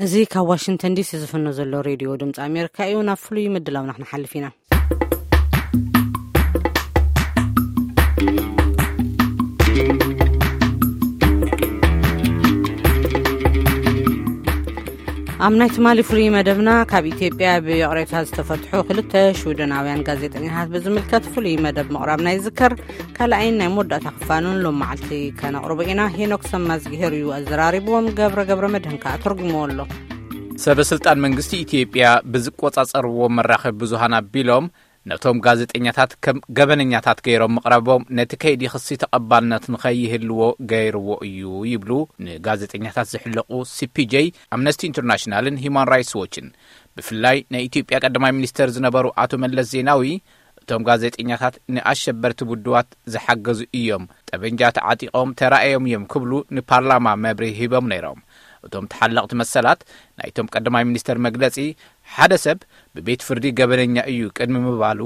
እዚ ካብ ዋሽንግተን ዲሲ ዝፍኖ ዘሎ ሬድዮ ድምፂ ኣሜሪካ እዩ። ናብ ፍሉይ ምድላውና ክንሓልፍ ኢና። ኣብ ናይ ትማሊ ፍሉይ መደብና፣ ካብ ኢትዮጵያ ብይቕሬታ ዝተፈትሑ ክልተ ሽወደናውያን ጋዜጠኛታት ብዝምልከት ፍሉይ መደብ ምቕራብና ይዝከር። ካልኣይን ናይ መወዳእታ ክፋሉን ሎም መዓልቲ ከነቕርቦ ኢና። ሄኖክ ሰማዝግሄር እዩ ኣዘራሪብዎም፣ ገብረ ገብረ መድህን ከኣ ተርጉምዎ ኣሎ። ሰበ ስልጣን መንግስቲ ኢትዮጵያ ብዝቆጻጸርዎ መራኸቢ ብዙሃን ኣቢሎም፣ ነቶም ጋዜጠኛታት ከም ገበነኛታት ገይሮም ምቕራቦም፣ ነቲ ከይዲ ክሲ ተቐባልነት ንኸይህልዎ ገይርዎ እዩ ይብሉ ንጋዜጠኛታት ዝሕለቑ ሲ ፒ ጄ፣ ኣምነስቲ ኢንተርናሽናልን ሂማን ራይትስ ዎችን። ብፍላይ ናይ ኢትዮጵያ ቀዳማይ ሚኒስተር ዝነበሩ ኣቶ መለስ ዜናዊ፣ እቶም ጋዜጠኛታት ንኣሸበርቲ ውድባት ዝሓገዙ እዮም፣ ጠበንጃ ተዓጢቖም ተራእዮም እዮም ክብሉ ንፓርላማ መብርሂ ሂቦም ነይሮም። እቶም ተሓለቕቲ መሰላት ናይቶም ቀዳማይ ሚኒስተር መግለጺ፣ ሓደ ሰብ ብቤት ፍርዲ ገበነኛ እዩ ቅድሚ ምባሉ፣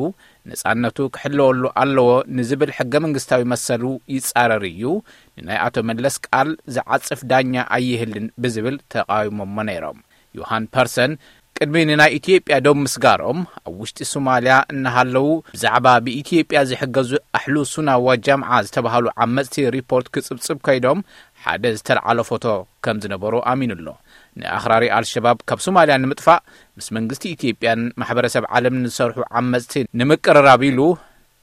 ነጻነቱ ክሕለወሉ ኣለዎ ንዝብል ሕገ መንግስታዊ መሰሉ ይጻረር እዩ፣ ንናይ ኣቶ መለስ ቃል ዝዓጽፍ ዳኛ ኣይህልን ብዝብል ተቃዊሞሞ ነይሮም። ዮሃን ፐርሰን ቅድሚ ንናይ ኢትዮጵያ ዶብ ምስጋሮም፣ ኣብ ውሽጢ ሶማልያ እናሃለዉ ብዛዕባ ብኢትዮጵያ ዝሕገዙ ኣሕሉ ሱና ዋጃምዓ ዝተባህሉ ዓመጽቲ ሪፖርት ክጽብጽብ ከይዶም ሓደ ዝተልዓሎ ፎቶ ከም ዝነበሩ ኣሚኑ ኣሎ። ንኣኽራሪ ኣልሸባብ ካብ ሶማልያ ንምጥፋእ ምስ መንግስቲ ኢትዮጵያን ማሕበረሰብ ዓለምን ዝሰርሑ ዓመጽቲ ንምቅርራብ ኢሉ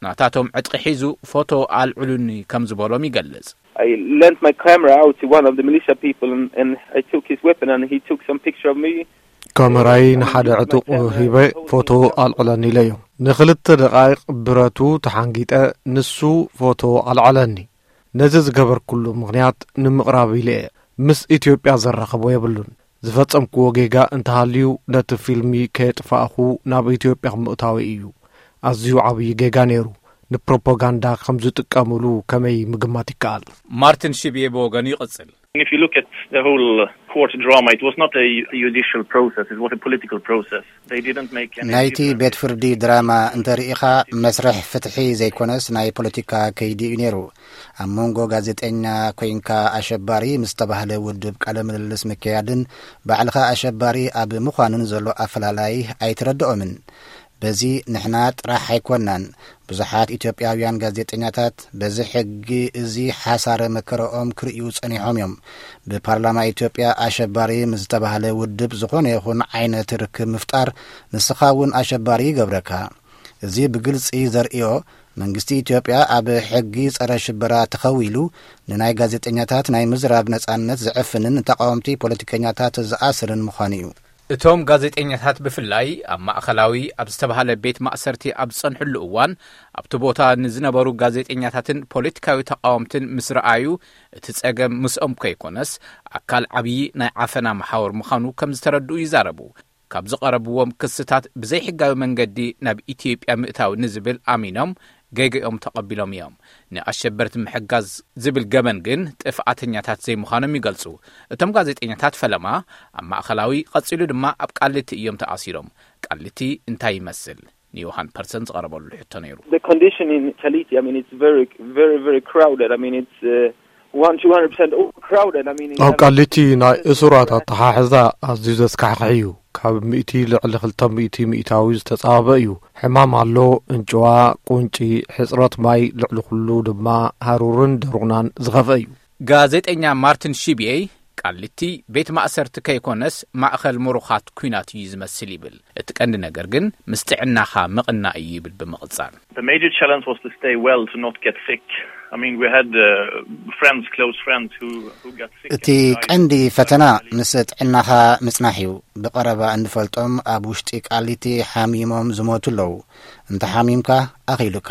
ናታቶም ዕጥቂ ሒዙ ፎቶ ኣልዕሉኒ ከም ዝበሎም ይገልጽ። I lent my camera out to one of the militia people and, and I took his weapon and he took some picture of me. ካሜራይ ንሓደ ዕጡቕ ሂበ ፎቶ ኣልዕለኒ ኢለዮ። ንኽልተ ደቓይቕ ብረቱ ተሓንጊጠ፣ ንሱ ፎቶ ኣልዓለኒ። ነዚ ዝገበርኩሉ ምኽንያት ንምቕራብ ኢለ እየ። ምስ ኢትዮጵያ ዘራኽቦ የብሉን። ዝፈጸምክዎ ጌጋ እንተሃልዩ፣ ነቲ ፊልሚ ከየጥፋእኹ ናብ ኢትዮጵያ ምእታወይ እዩ። ኣዝዩ ዓብዪ ጌጋ ነይሩ። ንፕሮፓጋንዳ ከም ዝጥቀሙሉ ከመይ ምግማት ይከኣል? ማርቲን ሽብየ ብወገኑ ይቕጽል። If you look at the whole court drama, it was not a judicial process, it was a political process. They didn't make any ናይቲ difference. ቤት ፍርዲ ድራማ እንተርኢኻ፣ መስርሕ ፍትሒ ዘይኮነስ ናይ ፖለቲካ ከይዲ እዩ ነይሩ። ኣብ መንጎ ጋዜጠኛ ኮይንካ ኣሸባሪ ምስ ተባህለ ውድብ ቃለ ምልልስ ምክያድን ባዕልኻ ኣሸባሪ ኣብ ምዃንን ዘሎ ኣፈላላይ ኣይተረድኦምን። በዚ ንሕና ጥራሕ ኣይኮናን፣ ብዙሓት ኢትዮጵያውያን ጋዜጠኛታት በዚ ሕጊ እዚ ሓሳረ መከረኦም ክርእዩ ጸኒሖም እዮም። ብፓርላማ ኢትዮጵያ ኣሸባሪ ምስ ዝተባህለ ውድብ ዝኾነ ይኹን ዓይነት ርክብ ምፍጣር ንስኻ እውን ኣሸባሪ ይገብረካ። እዚ ብግልጺ ዘርእዮ መንግስቲ ኢትዮጵያ ኣብ ሕጊ ጸረ ሽበራ ተኸዊሉ ንናይ ጋዜጠኛታት ናይ ምዝራብ ነጻነት ዝዕፍንን ንተቃወምቲ ፖለቲከኛታት ዝኣስርን ምዃኑ እዩ። እቶም ጋዜጠኛታት ብፍላይ ኣብ ማእኸላዊ ኣብ ዝተባህለ ቤት ማእሰርቲ ኣብ ዝጸንሕሉ እዋን ኣብቲ ቦታ ንዝነበሩ ጋዜጠኛታትን ፖለቲካዊ ተቃወምትን ምስ ረኣዩ እቲ ጸገም ምስኦም ከይኮነስ ኣካል ዓብዪ ናይ ዓፈና መሓውር ምዃኑ ከም ዝተረድኡ ይዛረቡ። ካብ ዝቐረብዎም ክስታት ብዘይሕጋዊ መንገዲ ናብ ኢትዮጵያ ምእታው ንዝብል ኣሚኖም ገይገኦም ተቐቢሎም እዮም። ንኣሸበርቲ ምሕጋዝ ዝብል ገበን ግን ጥፍኣተኛታት ዘይምዃኖም ይገልጹ። እቶም ጋዜጠኛታት ፈለማ ኣብ ማእኸላዊ ቀጺሉ ድማ ኣብ ቃሊቲ እዮም ተኣሲሮም። ቃሊቲ እንታይ ይመስል? ንዮሃን ፐርሰን ዝቐረበሉ ሕቶ ነይሩ። The condition in Kaliti, I mean, it's very, very, very crowded. I mean, it's uh, one, two hundred percent overcrowded. I mean, in ኣብ terms of ቃሊቲ ናይ እሱራት ኣተሓሕዛ ኣዝዩ ዘስካሕክሕ እዩ። ካብ ሚእቲ ልዕሊ ክልተ ሚእቲ ሚእታዊ ዝተጻበበ እዩ። ሕማም ኣሎ፣ እንጭዋ፣ ቁንጪ፣ ሕጽረት ማይ፣ ልዕሊ ኩሉ ድማ ሃሩርን ደሩናን ዝኸፍአ እዩ። ጋዜጠኛ ማርቲን ሺብየይ ቃሊቲ ቤት ማእሰርቲ ከይኮነስ ማእኸል ምሩኻት ኲናት እዩ ዝመስል ይብል። እቲ ቀንዲ ነገር ግን ምስ ጥዕናኻ ምቕናእ እዩ ይብል ብምቕጻል። The major challenge was to stay well, to not get sick. I mean, we had uh, friends, close friends who, who got sick እቲ and died ቀንዲ in ፈተና Kaliti. ምስ ጥዕናኻ ምጽናሕ እዩ። ብቐረባ እንፈልጦም ኣብ ውሽጢ ቃሊቲ ሓሚሞም ዝሞቱ ኣለዉ። እንተ ሓሚምካ ኣኺሉካ።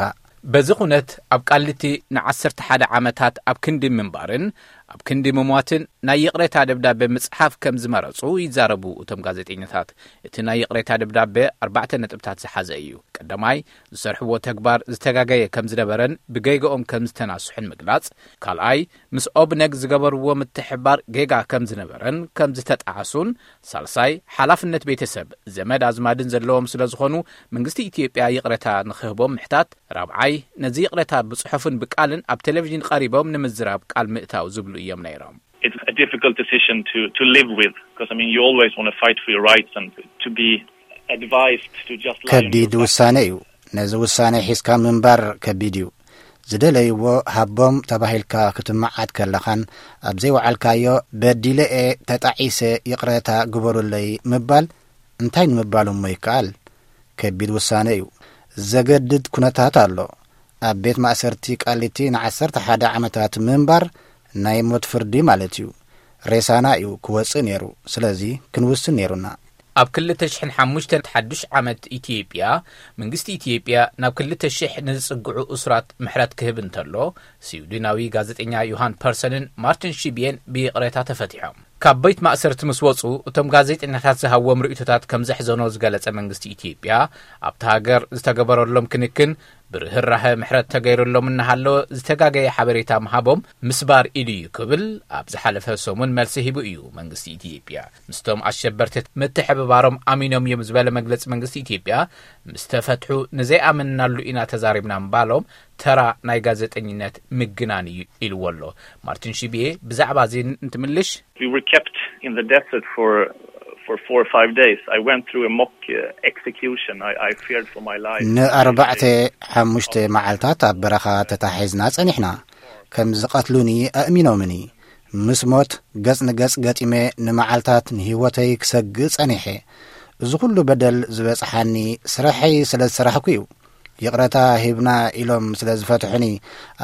በዚ ኩነት ኣብ ቃሊቲ ንዓሰርተ ሓደ ዓመታት ኣብ ክንዲ ምንባርን ኣብ ክንዲ ምሟትን ናይ ይቕሬታ ደብዳቤ ምጽሓፍ ከም ዝመረጹ ይዛረቡ እቶም ጋዜጠኛታት። እቲ ናይ ይቕሬታ ደብዳቤ ኣርባዕተ ነጥብታት ዝሓዘ እዩ። ቀዳማይ፣ ዝሰርሕዎ ተግባር ዝተጋገየ ከም ዝነበረን ብገይገኦም ከም ዝተናስሑን ምግላጽ። ካልኣይ፣ ምስ ኦብነግ ዝገበርዎ ምትሕብባር ጌጋ ከም ዝነበረን ከም ዝተጣዕሱን። ሳልሳይ፣ ሓላፍነት ቤተሰብ፣ ዘመድ ኣዝማድን ዘለዎም ስለ ዝኾኑ መንግስቲ ኢትዮጵያ ይቕሬታ ንኽህቦም ምሕታት። ራብዓይ፣ ነዚ ይቕሬታ ብጽሑፍን ብቃልን ኣብ ቴሌቪዥን ቀሪቦም ንምዝራብ ቃል ምእታው ዝብሉ እዮም ነይሮም። it's a difficult decision to, to live with, because, I mean, you always want to fight for your rights and to be advised to just lie on your ከቢድ back. ውሳነ እዩ። ነዚ ውሳነ ሒዝካ ምንባር ከቢድ እዩ። ዝደለይዎ ሃቦም ተባሂልካ ክትመዓት ከለኻን ኣብ ዘይወዓልካዮ በዲለ እየ፣ ተጣዒሰ፣ ይቕረታ ግበሩለይ ምባል እንታይ ንምባል እሞ ይከኣል? ከቢድ ውሳነ እዩ። ዘገድድ ኩነታት ኣሎ። ኣብ ቤት ማእሰርቲ ቃሊቲ ንዓሰርተ ሓደ ዓመታት ምንባር ናይ ሞት ፍርዲ ማለት እዩ። ሬሳና እዩ ክወጽእ ነይሩ። ስለዚ ክንውስን ነይሩና። ኣብ ክልተ ሽሕን ሓሙሽተን ሓዱሽ ዓመት ኢትዮጵያ፣ መንግስቲ ኢትዮጵያ ናብ ክልተ ሽሕ ንዝጽግዑ እሱራት ምሕረት ክህብ እንተሎ፣ ስዊድናዊ ጋዜጠኛ ዮሃን ፐርሰንን ማርቲን ሺብየን ብይቕሬታ ተፈቲሖም። ካብ ቤት ማእሰርቲ ምስ ወጹ፣ እቶም ጋዜጠኛታት ዝሃብዎም ርእይቶታት ከም ዘሕዘኖ ዝገለጸ መንግስቲ ኢትዮጵያ፣ ኣብቲ ሃገር ዝተገበረሎም ክንክን ብርህራሀ ምሕረት ተገይሩሎም እናሃለወ ዝተጋገየ ሓበሬታ ምሃቦም ምስባር ኢሉ እዩ ክብል ኣብ ዝሓለፈ ሰሙን መልሲ ሂቡ እዩ። መንግስቲ ኢትዮጵያ ምስቶም ኣሸበርቲ ምትሕብባሮም ኣሚኖም እዮም ዝበለ መግለጺ መንግስቲ ኢትዮጵያ፣ ምስ ተፈትሑ ንዘይኣመንናሉ ኢና ተዛሪብና ምባሎም ተራ ናይ ጋዜጠኝነት ምግናን እዩ ኢልዎ ኣሎ። ማርቲን ሺብየ ብዛዕባ እዚ እንትምልሽ We were kept in the desert for for four or five days. I went through a mock uh, execution. I, I feared for my life. ንኣርባዕተ ሓሙሽተ መዓልታት ኣብ በረኻ ተታሒዝና ጸኒሕና። ከም ዝቐትሉኒ ኣእሚኖምኒ። ምስ ሞት ገጽ ንገጽ ገጢመ ንመዓልታት ንህይወተይ ክሰግእ ጸኒሐ። እዚ ኩሉ በደል ዝበጽሓኒ ስራሐይ ስለ ዝሰራሕኩ እዩ። ይቕረታ ሂብና ኢሎም ስለ ዝፈትሑኒ፣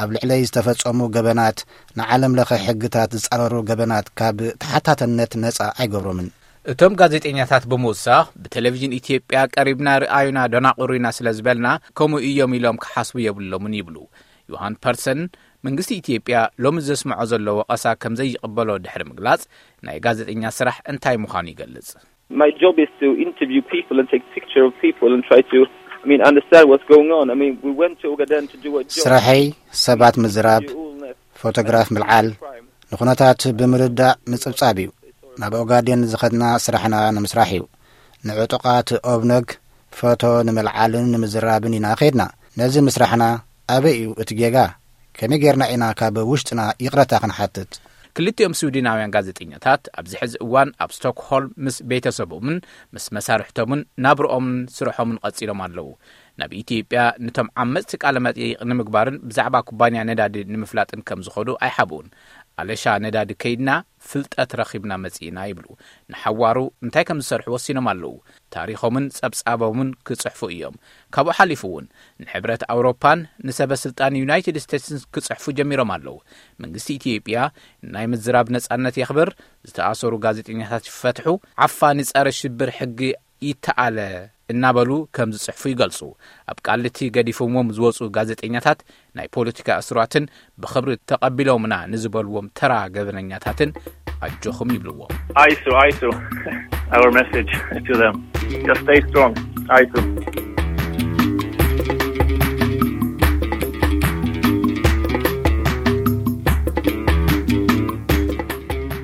ኣብ ልዕለይ ዝተፈጸሙ ገበናት፣ ንዓለም ለኸ ሕግታት ዝጻረሩ ገበናት ካብ ተሓታትነት ነጻ ኣይገብሮምን። እቶም ጋዜጠኛታት ብምውሳኽ ብቴሌቪዥን ኢትዮጵያ ቀሪብና ርኣዩና ደናቑሩና ስለ ዝበልና ከምኡ እዮም ኢሎም ክሓስቡ የብሎምን ይብሉ። ዮሃን ፐርሰን መንግስቲ ኢትዮጵያ ሎሚ ዘስምዖ ዘሎ ወቐሳ ከም ዘይቕበሎ ድሕሪ ምግላጽ ናይ ጋዜጠኛ ስራሕ እንታይ ምዃኑ ይገልጽ። My job is to interview people and take picture of people and try to, I mean, understand what's going on. I mean, we went to Ogaden to do a job. ስራሐይ ሰባት ምዝራብ፣ You all know ፎቶግራፍ ምልዓል፣ crime. ንኹነታት ብምርዳእ ምጽብጻብ እዩ። ናብ ኦጋዴን ዝኸድና ስራሕና ንምስራሕ እዩ። ንዕጡቓት ኦብነግ ፎቶ ንምልዓልን ንምዝራብን ኢና ኸድና። ነዚ ምስራሕና ኣበይ እዩ እቲ ጌጋ? ከመይ ጌርና ኢና ካብ ውሽጥና ይቕረታ ክንሓትት? ክልቲኦም ስዊድናውያን ጋዜጠኛታት ኣብዚ ሕዚ እዋን ኣብ ስቶክሆልም ምስ ቤተሰቦምን ምስ መሳርሕቶምን ናብርኦምን ስርሖምን ቀጺሎም ኣለዉ። ናብ ኢትዮጵያ ንቶም ዓመጽቲ ቃለ መጠይቕ ንምግባርን ብዛዕባ ኩባንያ ነዳዲ ንምፍላጥን ከም ዝኸዱ ኣይሓብኡን። ኣለሻ ነዳዲ ከይድና ፍልጠት ረኺብና መጺእና ይብሉ። ንሓዋሩ እንታይ ከም ዝሰርሑ ወሲኖም ኣለዉ። ታሪኾምን ጸብጻቦምን ክጽሕፉ እዮም። ካብኡ ሓሊፉ እውን ንሕብረት ኣውሮፓን ንሰበ ስልጣን ዩናይትድ ስቴትስን ክጽሕፉ ጀሚሮም ኣለዉ። መንግስቲ ኢትዮጵያ ናይ ምዝራብ ነጻነት የኽብር፣ ዝተኣሰሩ ጋዜጠኛታት ይፈትሑ፣ ዓፋኒ ጸረ ሽብር ሕጊ ይተኣለ እናበሉ ከም ዝጽሕፉ ይገልጹ። ኣብ ቃሊቲ ገዲፎምዎም ዝወጹ ጋዜጠኛታት ናይ ፖለቲካ እስራትን ብኽብሪ ተቐቢሎምና ንዝበልዎም ተራ ገበነኛታትን ኣጆኹም ይብልዎም። ISO, ISO, our message to them. Just stay strong. ISO.